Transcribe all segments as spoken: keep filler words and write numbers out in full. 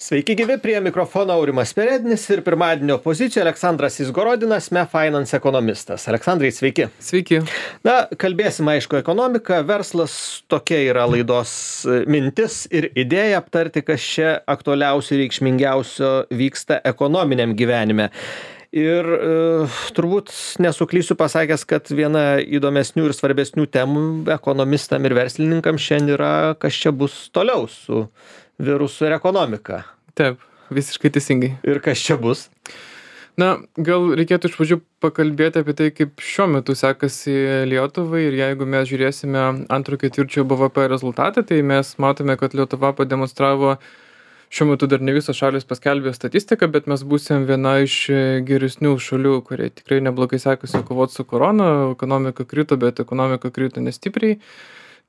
Sveiki gyvi, prie mikrofono Aurimas Perednis ir pirmadienio pozicijoje Aleksandras Izgorodinas, M E Finance ekonomistas. Aleksandrai, sveiki. Sveiki. Na, kalbėsim, aišku, ekonomika, verslas, tokia yra laidos mintis ir idėja aptarti, kas čia aktualiausio ir reikšmingiausio vyksta ekonominiam gyvenime. Ir e, turbūt nesuklysiu pasakęs, kad viena įdomesnių ir svarbesnių temų ekonomistam ir verslininkam šiandien yra, kas čia bus toliau su virusu ir ekonomika. Taip, visiškai teisingai. Ir kas čia bus? Na, gal reikėtų iš pradžių pakalbėti apie tai, kaip šiuo metu sekasi Lietuvai, ir jeigu mes žiūrėsime antro ketvirčio B V P rezultatą, tai mes matome, kad Lietuva pademonstravo, šiuo metu dar ne visos šalis paskelbė statistiką, bet mes būsim viena iš geresnių šalių, kurie tikrai neblogai sekasi kovoti su korona, ekonomika krito, bet ekonomika krito nestipriai.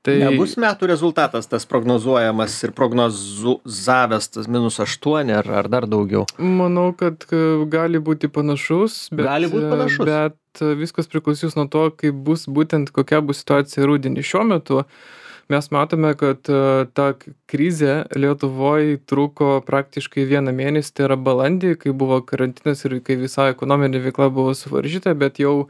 Tai nebus metų rezultatas tas prognozuojamas ir prognozavęs tas minus aštuoni ar, ar dar daugiau? Manau, kad gali būti panašus, bet, gali būti panašus. Bet viskas priklausys nuo to, kaip bus būtent kokia bus situacija rudenį. Šiuo metu mes matome, kad ta krizė Lietuvoje truko praktiškai vieną mėnesį, tai yra balandį, kai buvo karantinas ir kai visa ekonominė veikla buvo suvaržyta, bet jau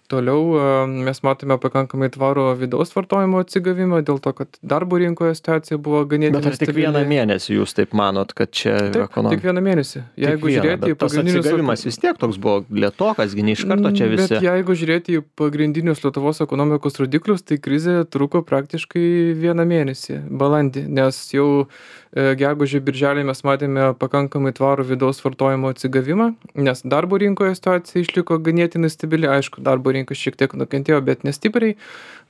toliau mes matome pakankamai tvarų vidaus vartojimo atsigavimą, dėl to, kad darbo rinkoje situacija buvo ganėtinai stabili. Bet ar tik vieną mėnesį jūs taip manot, kad čia taip, ekonomika? Tik vieną mėnesį. Jeigu vieną, žiūrėti į pagrindinius... Tas atsigavimas vis tiek toks buvo lėtokas, gi ne iš karto čia visi. Bet jeigu žiūrėti į pagrindinius Lietuvos ekonomikos rodiklius, tai krizė truko praktiškai vieną mėnesį, balandį, nes jau gegužę birželį mes matėme pakankamai tvarų vidaus vartojimo atsigavimą, nes darbo rinkoje situacija išliko ganėtinai stabili, aišku, darbo rinka šiek tiek nukentėjo, bet nestipriai,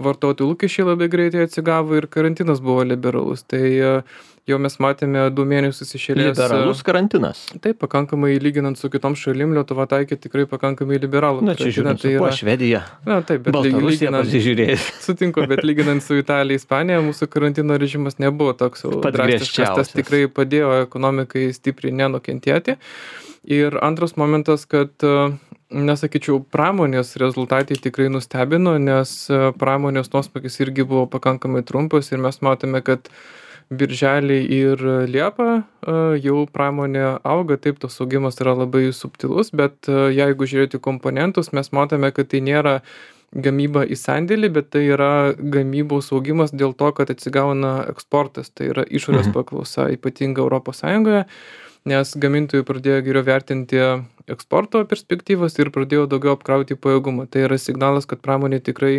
vartotojų lūkesčiai labai greitai atsigavo ir karantinas buvo liberalus. Tai jau mes matėme du mėnesius iš eilės. Liberalus karantinas? Taip, pakankamai lyginant su kitom šalim, Lietuva taikė tikrai pakankamai liberalų. Na, čia žiūrint, tai yra... po Švedija. Na, taip, bet Baltarusija pasižiūrėjus. Sutinku, bet lyginant su Italija, Ispanija, mūsų karantino režimas nebuvo toks drastiškas. Tas tikrai padėjo ekonomikai stipriai nenukentėti. Ir antras momentas, kad, nesakyčiau, pramonės rezultatai tikrai nustebino, nes pramonės nuosmukis irgi buvo pakankamai trumpas ir mes matome, kad birželį ir liepą jau pramonė auga, taip, tos augimas yra labai subtilus, bet jeigu žiūrėti komponentus, mes matome, kad tai nėra gamyba į sandėlį, bet tai yra gamybos augimas dėl to, kad atsigauna eksportas, tai yra išorės paklausa, ypatinga Europos Sąjungoje, nes gamintojai pradėjo geriau vertinti eksporto perspektyvas ir pradėjo daugiau apkrauti pajėgumą. Tai yra signalas, kad pramonė tikrai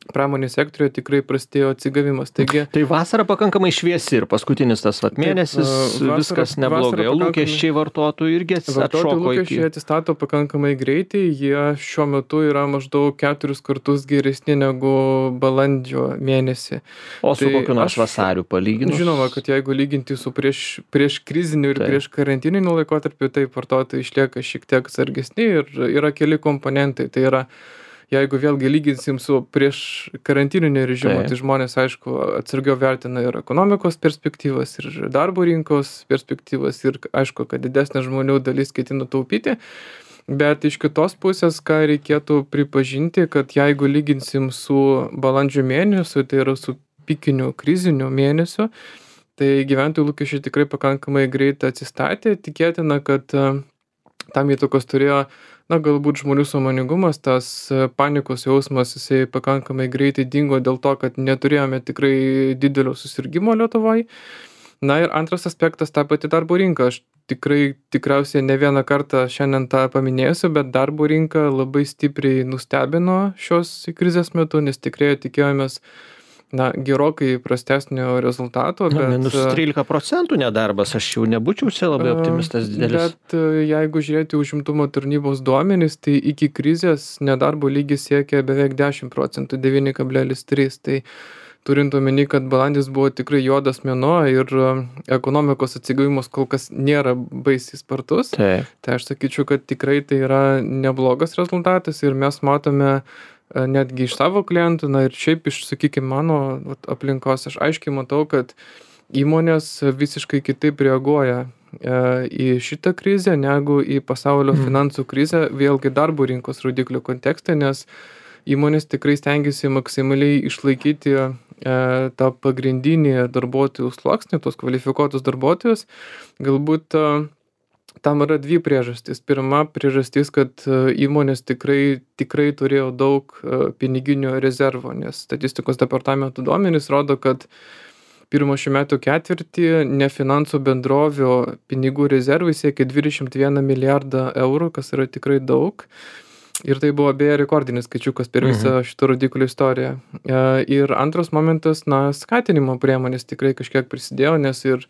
pramonės sektoriuje tikrai prastėjo atsigavimas. Taigi, tai vasara pakankamai šviesi ir paskutinis tas vat mėnesis, taip, vasara, viskas neblogai, o lūkesčiai vartotojų irgi atšoko. Vartotojų lūkesčiai iki... atsistato pakankamai greitai, jie šiuo metu yra maždaug keturis kartus geresni negu balandžio mėnesį. O su tai kokiu nors aš, vasariu palyginus? Žinoma, kad jeigu lyginti su prieš, prieš kriziniu ir taip. prieš karantininiu laikotarpiu, tai vartotojai išlieka šiek tiek sargesni ir yra keli komponentai. Tai yra jeigu vėlgi lyginsim su prieš karantininio režimu, tai. tai žmonės, aišku, atsargiau vertina ir ekonomikos perspektyvas, ir darbo rinkos perspektyvas, ir aišku, kad didesnė žmonių dalis ketina taupyti. Bet iš kitos pusės, ką reikėtų pripažinti, kad jeigu lyginsim su balandžio mėnesiu, tai yra su pikiniu kriziniu mėnesiu, tai gyventojų lūkesčiai tikrai pakankamai greit atsistatė. Tikėtina, kad tam įtakos turėjo na, galbūt žmonių sąmoningumas, tas panikos jausmas, jisai pakankamai greitai dingo dėl to, kad neturėjome tikrai didelio susirgimo Lietuvoje. Na ir antras aspektas, ta pati darbo rinka. Aš tikrai tikriausiai ne vieną kartą šiandien tą paminėsiu, bet darbo rinka labai stipriai nustebino šios krizės metu, nes tikrai tikėjomės na, gerokai prastesnio rezultato. Na, bet, minus trylika procentų nedarbas, aš jau nebūčiau čia labai optimistas didelis. Bet jeigu žiūrėti užimtumo tarnybos duomenys, tai iki krizės nedarbo lygis siekia beveik dešimt procentų, devyni kablelis trys. Tai turint omeny, kad balandis buvo tikrai juodas mėnuo ir ekonomikos atsigavimas kol kas nėra baisiai spartus, tai. tai aš sakyčiau, kad tikrai tai yra neblogas rezultatas ir mes matome netgi iš savo klientų, na ir šiaip iš, sakykime, mano aplinkos, aš aiškiai matau, kad įmonės visiškai kitaip reaguoja į šitą krizę negu į pasaulio mm. finansų krizę, vėlgi darbo rinkos rodiklių kontekste, nes įmonės tikrai stengiasi maksimaliai išlaikyti tą pagrindinį darbuotojų sluoksnį, tos kvalifikuotus darbuotojus, galbūt tam yra dvi priežastys. Pirma priežastis, kad įmonės tikrai, tikrai turėjo daug piniginių rezervų, nes statistikos departamento duomenys rodo, kad pirmo šių metų ketvirtį nefinansų bendrovių pinigų rezervai siekia dvidešimt vieną milijardą eurų, kas yra tikrai daug. Ir tai buvo beje rekordinis skaičiukas per visą Mhm. šitą rodiklių istoriją. Ir antras momentas, na, skatinimo priemonės tikrai kažkiek prisidėjo, nes ir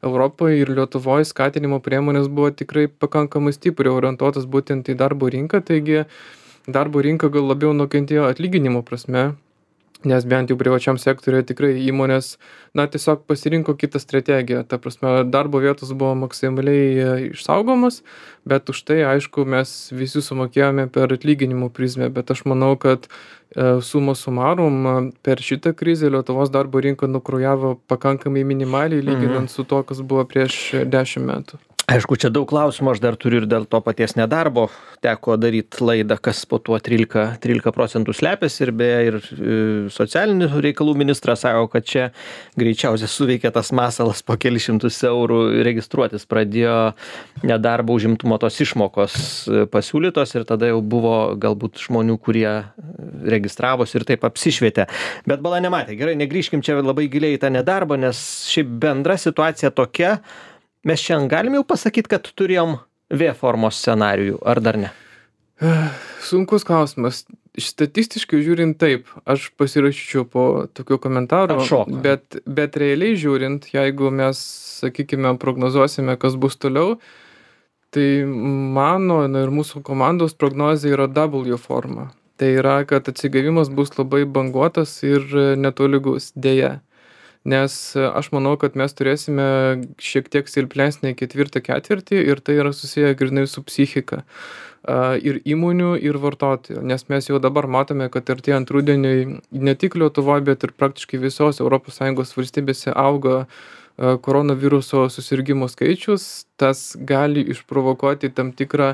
Europoje ir Lietuvoje skatinimo priemonės buvo tikrai pakankamai stipriai orientuotas būtent į darbo rinką, taigi darbo rinka gal labiau nukentėjo atlyginimo prasme, nes bent jau privačiam sektoriuje tikrai įmonės, na, tiesiog pasirinko kitą strategiją. Ta prasme, darbo vietos buvo maksimaliai išsaugomos, bet už tai, aišku, mes visi sumokėjome per atlyginimų prizmę, bet aš manau, kad suma sumarum per šitą krizę Lietuvos darbo rinka nukrujavo pakankamai minimaliai, lyginant su to, kas buvo prieš dešimt metų. Aišku, čia daug klausimų, aš dar turiu ir dėl to paties nedarbo. Teko daryti laidą, kas po tuo trylika, trylika procentų slepiasi ir beje ir socialinių reikalų ministras sako, kad čia greičiausiai suveikė tas masalas po kelius šimtus eurų registruotis. Pradėjo nedarbo užimtumo tos išmokos pasiūlytos ir tada jau buvo galbūt žmonių, kurie registravosi ir taip apsišvietė. Bet bala nematė. Gerai, negrįžkim čia labai giliai į tą nedarbą, nes šiaip bendra situacija tokia. Mes šiandien galim jau pasakyti, kad turėjom V formos scenarijų, ar dar ne? Sunkus klausimas. Statistiškai žiūrint taip, aš pasirašyčiau po tokių komentarų, bet, bet realiai žiūrint, jeigu mes, sakykime, prognozuosime, kas bus toliau, tai mano na, ir mūsų komandos prognozija yra W forma. Tai yra, kad atsigavimas bus labai banguotas ir netolygus, dėja. Nes aš manau, kad mes turėsime šiek tiek silpnesnį ketvirtą ketvirtį ir tai yra susiję grynai su psichika ir įmonių, ir vartotojų. Nes mes jau dabar matome, kad artėjant rudeniui ne tik Lietuvoje, bet ir praktiškai visos Europos Sąjungos valstybėse auga koronaviruso susirgimų skaičius. Tas gali išprovokuoti tam tikrą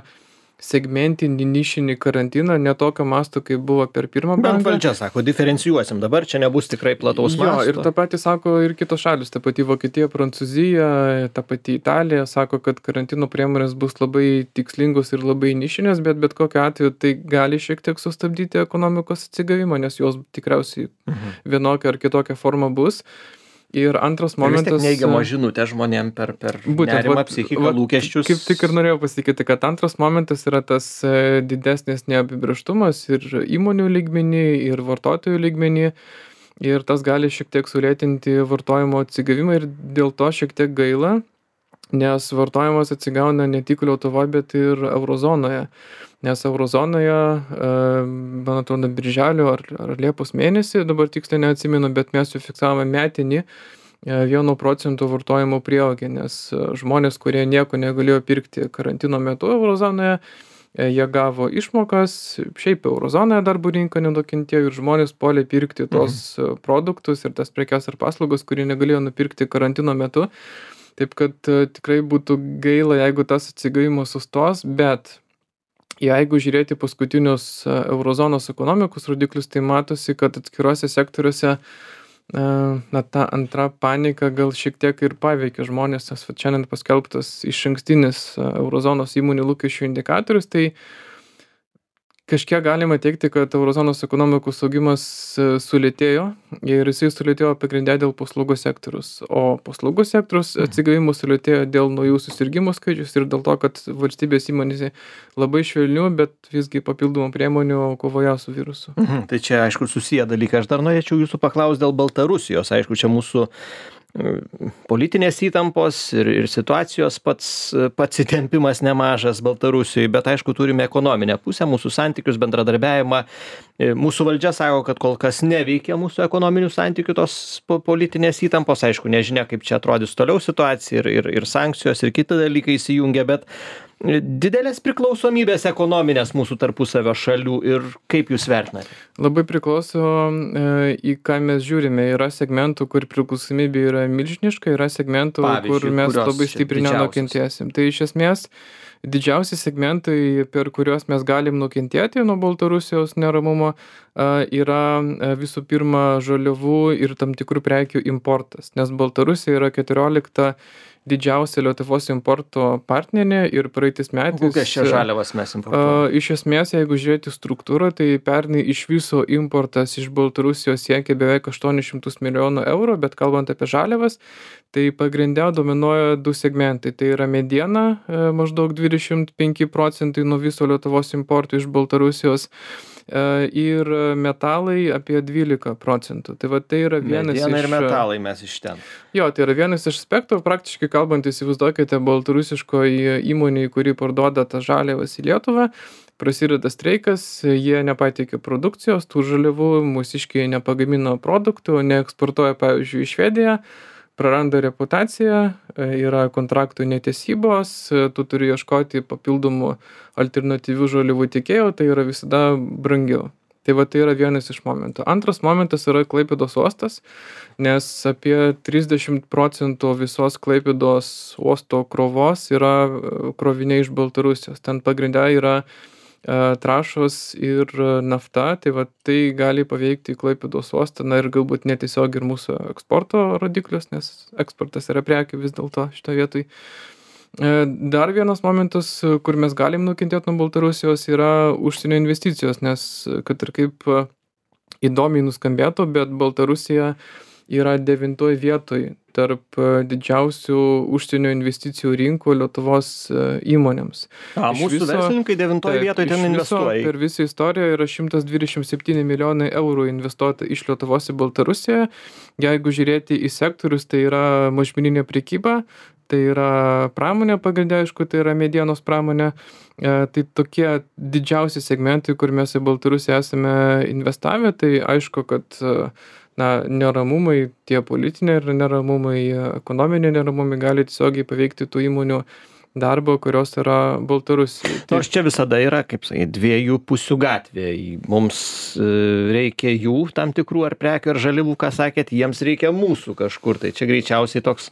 segmentinį nišinį karantiną, ne tokio masto, kaip buvo per pirmą bangą. Bet valdžia sako, diferencijuosim, dabar čia nebus tikrai plataus masto. Jo, ir tą patį sako ir kitos šalis, ta pati Vokietija, Prancūzija, ta pati Italija, sako, kad karantino priemonės bus labai tikslingos ir labai nišinės, bet bet kokiu atveju tai gali šiek tiek sustabdyti ekonomikos atsigavimą, nes jos tikriausiai mhm. vienokia ar kitokia forma bus. Ir antras momentas... Vis tiek neigiamo žinutė žmonėm per, per nerimą, psichiką, lūkesčius. Kaip tik ir norėjau pasakyti, kad antras momentas yra tas didesnis neapibrėžtumas ir įmonių lygmenį, ir vartotojų lygmenį. Ir tas gali šiek tiek sulėtinti vartojimo atsigavimą ir dėl to šiek tiek gaila, nes vartojimas atsigauna ne tik Lietuvoje, bet ir eurozonoje. Nes eurozonoje, man atrodo, birželio ar, ar liepos mėnesį, dabar tiksliai neatsimenu, bet mes jau fiksavome metinį vieno procento vartojimo prieaugį, nes žmonės, kurie nieko negalėjo pirkti karantino metu eurozonoje, jie gavo išmokas, šiaip eurozonoje darbo rinka nenukentėjo ir žmonės puolė pirkti tos mhm. produktus ir tas prekes ar paslaugas, kurie negalėjo nupirkti karantino metu. Taip kad tikrai būtų gaila, jeigu tas atsigavimas sustos, bet jeigu žiūrėti paskutinius eurozonos ekonomikos rodiklius, tai matosi, kad atskiruose sektoriuose na, ta antra panika gal šiek tiek ir paveikia žmonės, nes šiandien paskelbtas išankstinis eurozonos įmonių lūkesčių indikatorius, tai kažkiek galima teikti, kad eurozonos ekonomikos augimas sulėtėjo ir jisai sulėtėjo pagrindė dėl paslaugų sektorius. O paslaugų sektorius atsigavimas sulėtėjo dėl naujų susirgimų skaičius ir dėl to, kad valstybės įmonėse labai švelnių, bet visgi papildomų priemonių kovoje su virusu. Mhm, tai čia, aišku, susiję dalykai. Aš dar norėčiau jūsų paklausti dėl Baltarusijos. Aišku, čia mūsų politinės įtampos ir, ir situacijos pats, pats įtempimas nemažas Baltarusijoje, bet aišku turime ekonominę pusę, mūsų santykius, bendradarbiavimą. Mūsų valdžia sako, kad kol kas neveikia mūsų ekonominių santykių tos politinės įtampos, aišku, nežinia, kaip čia atrodys toliau situacija ir, ir, ir sankcijos ir kiti dalykai įsijungia, bet didelės priklausomybės ekonominės mūsų tarpusavio šalių ir kaip jūs vertinate? Labai priklauso, į ką mes žiūrime. Yra segmentų, kur priklausomybė yra milžiniška, yra segmentų, Pavyzdžiui, kur mes labai stipriai nenukentėsim. Tai iš esmės didžiausi segmentai, per kuriuos mes galim nukentėti nuo Baltarusijos neramumo, yra visų pirma žaliavų ir tam tikrų prekių importas, nes Baltarusija yra keturiolikta didžiausia Lietuvos importo partnerė ir praeitais metais. Kokias čia žaliavas mes importuojame? Iš esmės, jeigu žiūrėti struktūrą, tai pernai iš viso importas iš Baltarusijos siekia beveik aštuonis šimtus milijonų eurų, bet kalbant apie žaliavas, tai pagrinde dominuoja du segmentai. Tai yra mediena, maždaug dvidešimt penki procentai nuo viso Lietuvos importo iš Baltarusijos, ir metalai apie dvylika procentų. Tai va tai yra vienas Mediena iš... ir metalai mes iš ten. Jo, tai yra vienas iš aspektų, praktiškai kalbant, įsivaizduokite baltarusiškoji įmonė, kuri parduoda tas žaliavas į Lietuvą, prasideda streikas, jie nepateikė produkcijos, tų žaliavų, mūsiškiai nepagamino produktų, neeksportuoja, pavyzdžiui, į Švediją, praranda reputaciją, yra kontraktų netesybos, tu turi ieškoti papildomų alternatyvių žaliavų tiekėjų, tai yra visada brangiau. Tai va tai yra vienas iš momentų. Antras momentas yra Klaipėdos uostas, nes apie trisdešimt procentų visos Klaipėdos uosto krovos yra kroviniai iš Baltarusijos. Ten pagrinde yra trąšos ir nafta, tai va tai gali paveikti Klaipėdos uostą, na ir galbūt netiesiog ir mūsų eksporto rodiklius, nes eksportas yra prekių vis dėlto šitoje vietoj. Dar vienas momentas, kur mes galim nukentėti nuo Baltarusijos, yra užsienio investicijos, nes kad ir kaip įdomiai nuskambėtų, bet Baltarusija yra devintoj vietoj tarp didžiausių užsienio investicijų rinkų Lietuvos įmonėms. A, Iš mūsų viso- verslininkai devintoj Taip, vietoj iš ten viso investuoja. Per visą istoriją yra šimtas dvidešimt septyni milijonai eurų investuota iš Lietuvos į Baltarusiją. Jeigu žiūrėti į sektorius, tai yra mažmeninė prekyba, tai yra pramonė pagrinde, aišku, tai yra medienos pramonė. E, Tai tokie didžiausi segmentai, kur mes į Baltarusiją esame investavę, tai aišku, kad e, na, neramumai, tie politiniai ir neramumai, e, ekonominiai neramumai gali tiesiogiai paveikti tų įmonių darbo, kurios yra Baltarusijai. Tai- Nors čia visada yra, kaip sakai, dviejų pusių gatvė. Mums e, reikia jų tam tikrų ar prekių ar žaliavų, ką sakėt, jiems reikia mūsų kažkur. Tai čia greičiausiai toks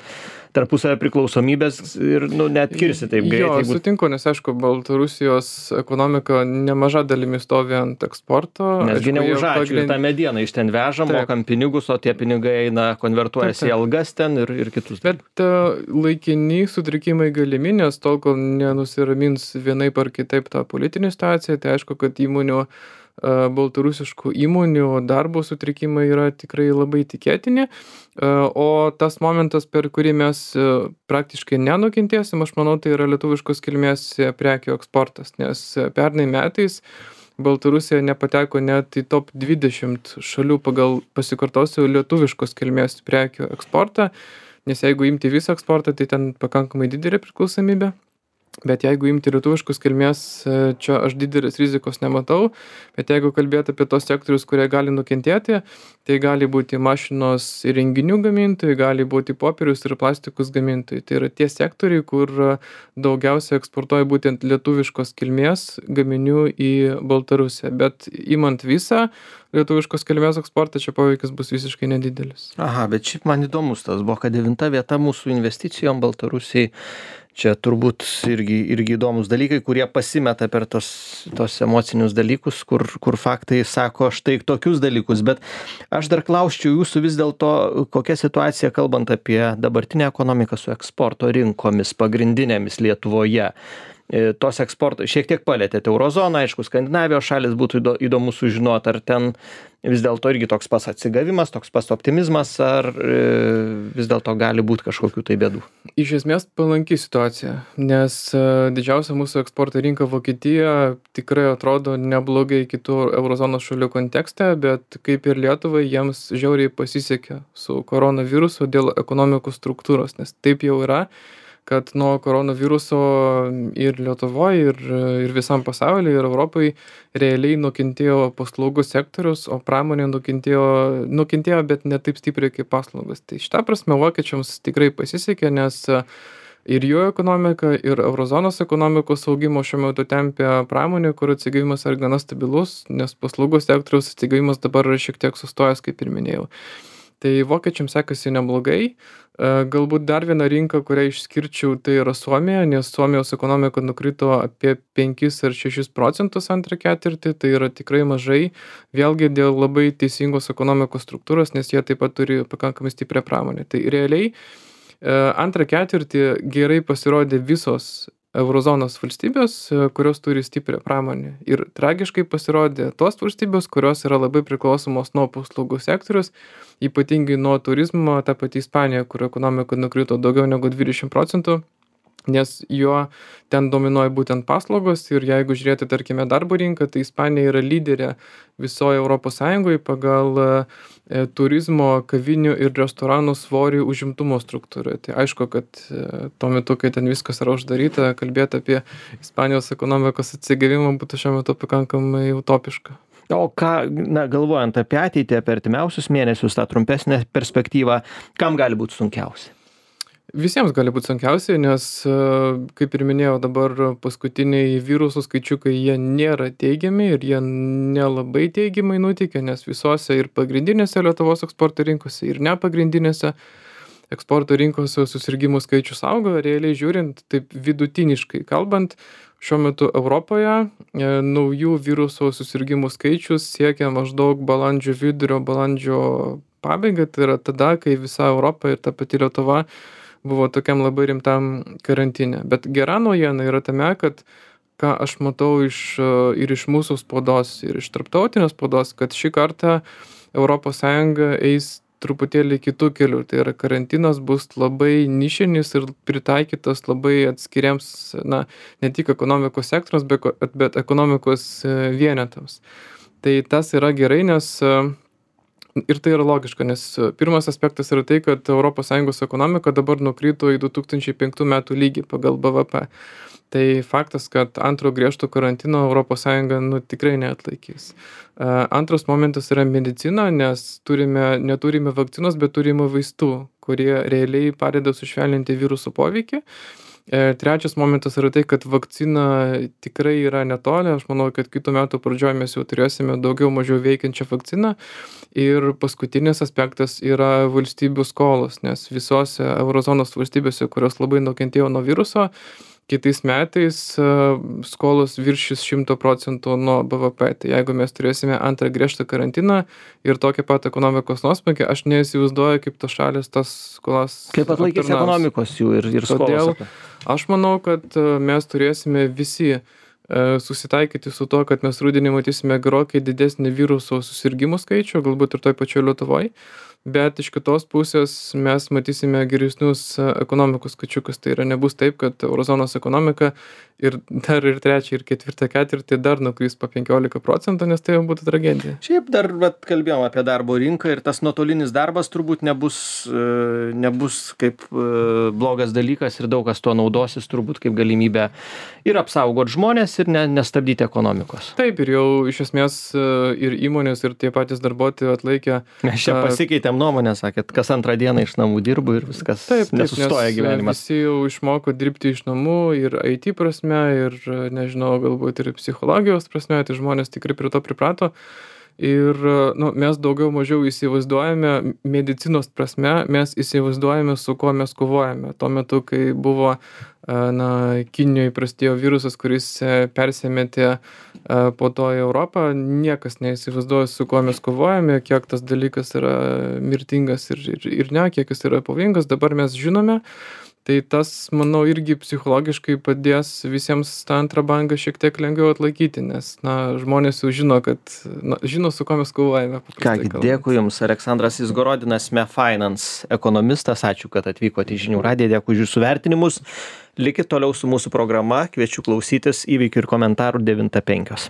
tarpusavio priklausomybės ir nu, net kirsi taip Jo, greitai. Jeigu... sutinku, nes aišku, Baltarusijos ekonomika nemaža dalimi stovi ant eksporto. Nesgi Aišku, ne jie už ačiū, pagrind- tą medieną iš ten vežam, Taip. mokam pinigus, o tie pinigai eina, konvertuojasi Taip, į taip. algas ten ir, ir kitus. Bet e, laikini sutrikimai galimi, nes tol, kol nenusiramins vienaip ar kitaip tą politinį situaciją, tai aišku, kad įmonių, e, baltarusiškų įmonių darbo sutrikimai yra tikrai labai tikėtini. E, O tas momentas, per kurį mes e, praktiškai nenukentėsim, aš manau, tai yra lietuviškos kilmės e, prekių eksportas, nes e, pernai metais Baltarusija nepateko net į top dvidešimt šalių pagal, pasikartosiu, lietuviškos kilmės prekių eksportą, nes jeigu imti visą eksportą, tai ten pakankamai didelė priklausomybė. Bet jeigu imti lietuviškus kilmės, e, čia aš didelės rizikos nematau, bet jeigu kalbėti apie tos sektorius, kurie gali nukentėti, tai gali būti mašinos ir renginių gamintojai, gali būti popierius ir plastikus gamintojai. Tai yra tie sektoriai, kur e, daugiausia eksportuoja būtent lietuviškos kilmės gaminių į Baltarusiją. Bet imant visą lietuviškos kilmės eksportą, čia poveikis bus visiškai nedidelis. Aha, bet šiaip man įdomus tas buvo, kad devinta vieta mūsų investicijom Baltarusijai. Čia turbūt irgi, irgi įdomus dalykai, kurie pasimeta per tos, tos emocinius dalykus, kur, kur faktai sako štai tokius dalykus. Bet aš dar klausčiau jūsų vis dėlto, kokia situacija, kalbant apie dabartinę ekonomiką su eksporto rinkomis pagrindinėmis Lietuvoje. E, Tos eksporto, šiek tiek palėtėte Eurozoną, aišku, Skandinavijos šalis, būtų įdo- įdomu sužinoti, ar ten vis dėlto irgi toks pas atsigavimas, toks pas optimizmas, ar e, vis dėlto gali būti kažkokių tai bėdų. Iš esmės palanki situacija, nes e, didžiausia mūsų eksporto rinka Vokietija tikrai atrodo neblogai kitų eurozonos šalių kontekste, bet kaip ir Lietuvai, jiems žiauriai pasisekė su koronavirusu dėl ekonomikos struktūros, nes taip jau yra, kad nuo koronaviruso ir Lietuvoje, ir, ir visam pasaulyje, ir Europai realiai nukentėjo paslaugų sektorius, o pramonė nukentėjo, nukentėjo, bet ne taip stipriai kaip paslaugos. Tai šitą prasme vokiečiams tikrai pasisekė, nes ir jų ekonomika, ir eurozonos ekonomikos augimo šiuo metu tempia pramonė, kur atsigavimas yra gana stabilus, nes paslaugų sektoriaus atsigavimas dabar yra šiek tiek sustojęs, kaip ir minėjau. Tai vokiečiams sekasi neblogai. Galbūt dar viena rinka, kurią išskirčiau, tai yra Suomija, nes Suomijos ekonomika nukrito apie penkis ar šešis procentus antrą ketvirtį, tai yra tikrai mažai, vėlgi dėl labai teisingos ekonomikos struktūros, nes jie taip pat turi pakankamai stiprią pramonę. Tai realiai antrą ketvirtį gerai pasirodė visos eurozonos valstybės, kurios turi stiprią pramonę. Ir tragiškai pasirodė tos valstybės, kurios yra labai priklausomos nuo paslaugų sektorius, ypatingai nuo turizmo, ta pati Ispanija, kur ekonomika nukrito daugiau negu dvidešimt procentų, nes jo ten dominuoja būtent paslaugos ir jeigu žiūrėti, tarkime, darbo rinką, tai Ispanija yra lyderė visoje Europos Sąjungoje pagal e, turizmo, kavinių ir restoranų svorį užimtumo struktūrą. Tai aišku, kad e, tuo metu, kai ten viskas yra uždaryta, kalbėti apie Ispanijos ekonomikos atsigavimą būtų šiuo metu pakankamai utopiška. O ką, na, galvojant apie ateitį, apie artimiausius mėnesius, tą trumpesnę perspektyvą, kam gali būti sunkiausia? Visiems gali būti sunkiausiai, nes, kaip ir minėjau, dabar paskutiniai virusų skaičiukai, jie nėra teigiami ir jie nelabai teigiamai nuteikia, nes visose ir pagrindinėse Lietuvos eksporto rinkose ir nepagrindinėse eksporto rinkose susirgimų skaičius auga, realiai žiūrint, taip vidutiniškai kalbant, šiuo metu Europoje e, naujų viruso susirgimų skaičius siekia maždaug balandžio vidurio, balandžio pabaigą, tai yra tada, kai visa Europa ir ta pati Lietuva buvo tokiam labai rimtam karantine. Bet gera naujiena yra tame, kad ką aš matau iš, ir iš mūsų spaudos, ir iš tarptautinės spaudos, kad šį kartą Europos Sąjunga eis truputėlį kitų kelių. Tai yra karantinas bus labai nišinis ir pritaikytas labai atskiriams, na, ne tik ekonomikos sektoriams, bet, bet ekonomikos vienetams. Tai tas yra gerai, nes ir tai yra logiška, nes pirmas aspektas yra tai, kad Europos Sąjungos ekonomika dabar nukrito į du tūkstančiai penktų metų lygį pagal B V P. Tai faktas, kad antro griežto karantino Europos Sąjunga nu, tikrai neatlaikys. Antras momentas yra medicina, nes turime, neturime vakcinos, bet turime vaistų, kurie realiai padeda sušvelninti virusų poveikį. Trečias momentas yra tai, kad vakcina tikrai yra netoli. Aš manau, kad kitų metų pradžioje mes jau turėsime daugiau mažiau veikiančią vakciną. Ir paskutinis aspektas yra valstybių skolos, nes visose eurozonos valstybėse, kurios labai nukentėjo nuo viruso, kitais metais skolos viršys šimtą procentų nuo B V P. Tai jeigu mes turėsime antrą griežtą karantiną ir tokią pat ekonomikos nuosmukį, aš neįsivaizduoju, kaip tos šalis tas skolas kaip atlaikys ekonomikos jų ir, ir skolos. Todėl aš manau, kad mes turėsime visi susitaikyti su to, kad mes rudenį matysime gerokai didesnį viruso susirgimų skaičių, galbūt ir toj pačioj Lietuvoje. Bet iš kitos pusės mes matysime geresnius ekonomikos skaičiukus. Tai yra nebus taip, kad eurozonos ekonomika ir dar ir trečią ir ketvirtą ketvirtį dar nukris po penkiolika procentų, nes tai jau būtų tragedija. Šiaip dar vat, kalbėjom apie darbo rinką ir tas nuotolinis darbas turbūt nebus, nebus kaip blogas dalykas ir daug kas tuo naudosis turbūt kaip galimybę ir apsaugoti žmonės ir ne, nestabdyti ekonomikos. Taip, ir jau iš esmės ir įmonės ir tie patys darbuotojai atlaikė. Mes čia pasikeitėm nuomonę, sakėt, kas antrą dieną iš namų dirbu ir viskas taip, taip, nesustoja gyvenimas. Visi jau išmoko dirbti iš namų ir I T prasme, ir nežinau, galbūt ir psichologijos prasme, tai žmonės tikrai prie to priprato. Ir nu, mes daugiau mažiau įsivaizduojame, medicinos prasme, mes įsivaizduojame, su kuo mes kovojame. Tuo metu, kai buvo na, Kinijoje prasidėjo virusas, kuris persimetė po to į Europą, niekas neįsivaizduoja, su kuo mes kovojame, kiek tas dalykas yra mirtingas ir, ir, ir ne, kiek jis yra pavojingas. Dabar mes žinome. Tai tas, manau, irgi psichologiškai padės visiems tą antrą bangą šiek tiek lengviau atlaikyti, nes na, žmonės jau žino, kad na, žino, su kuo mes kovojame. Kągi, dėkui Jums, Aleksandras Izgorodinas, MeFinance ekonomistas, ačiū, kad atvykote į Žinių radiją, dėkui už Jūsų vertinimus. Likit toliau su mūsų programa, kviečiu klausytis įvykių ir komentarų devintą penkios.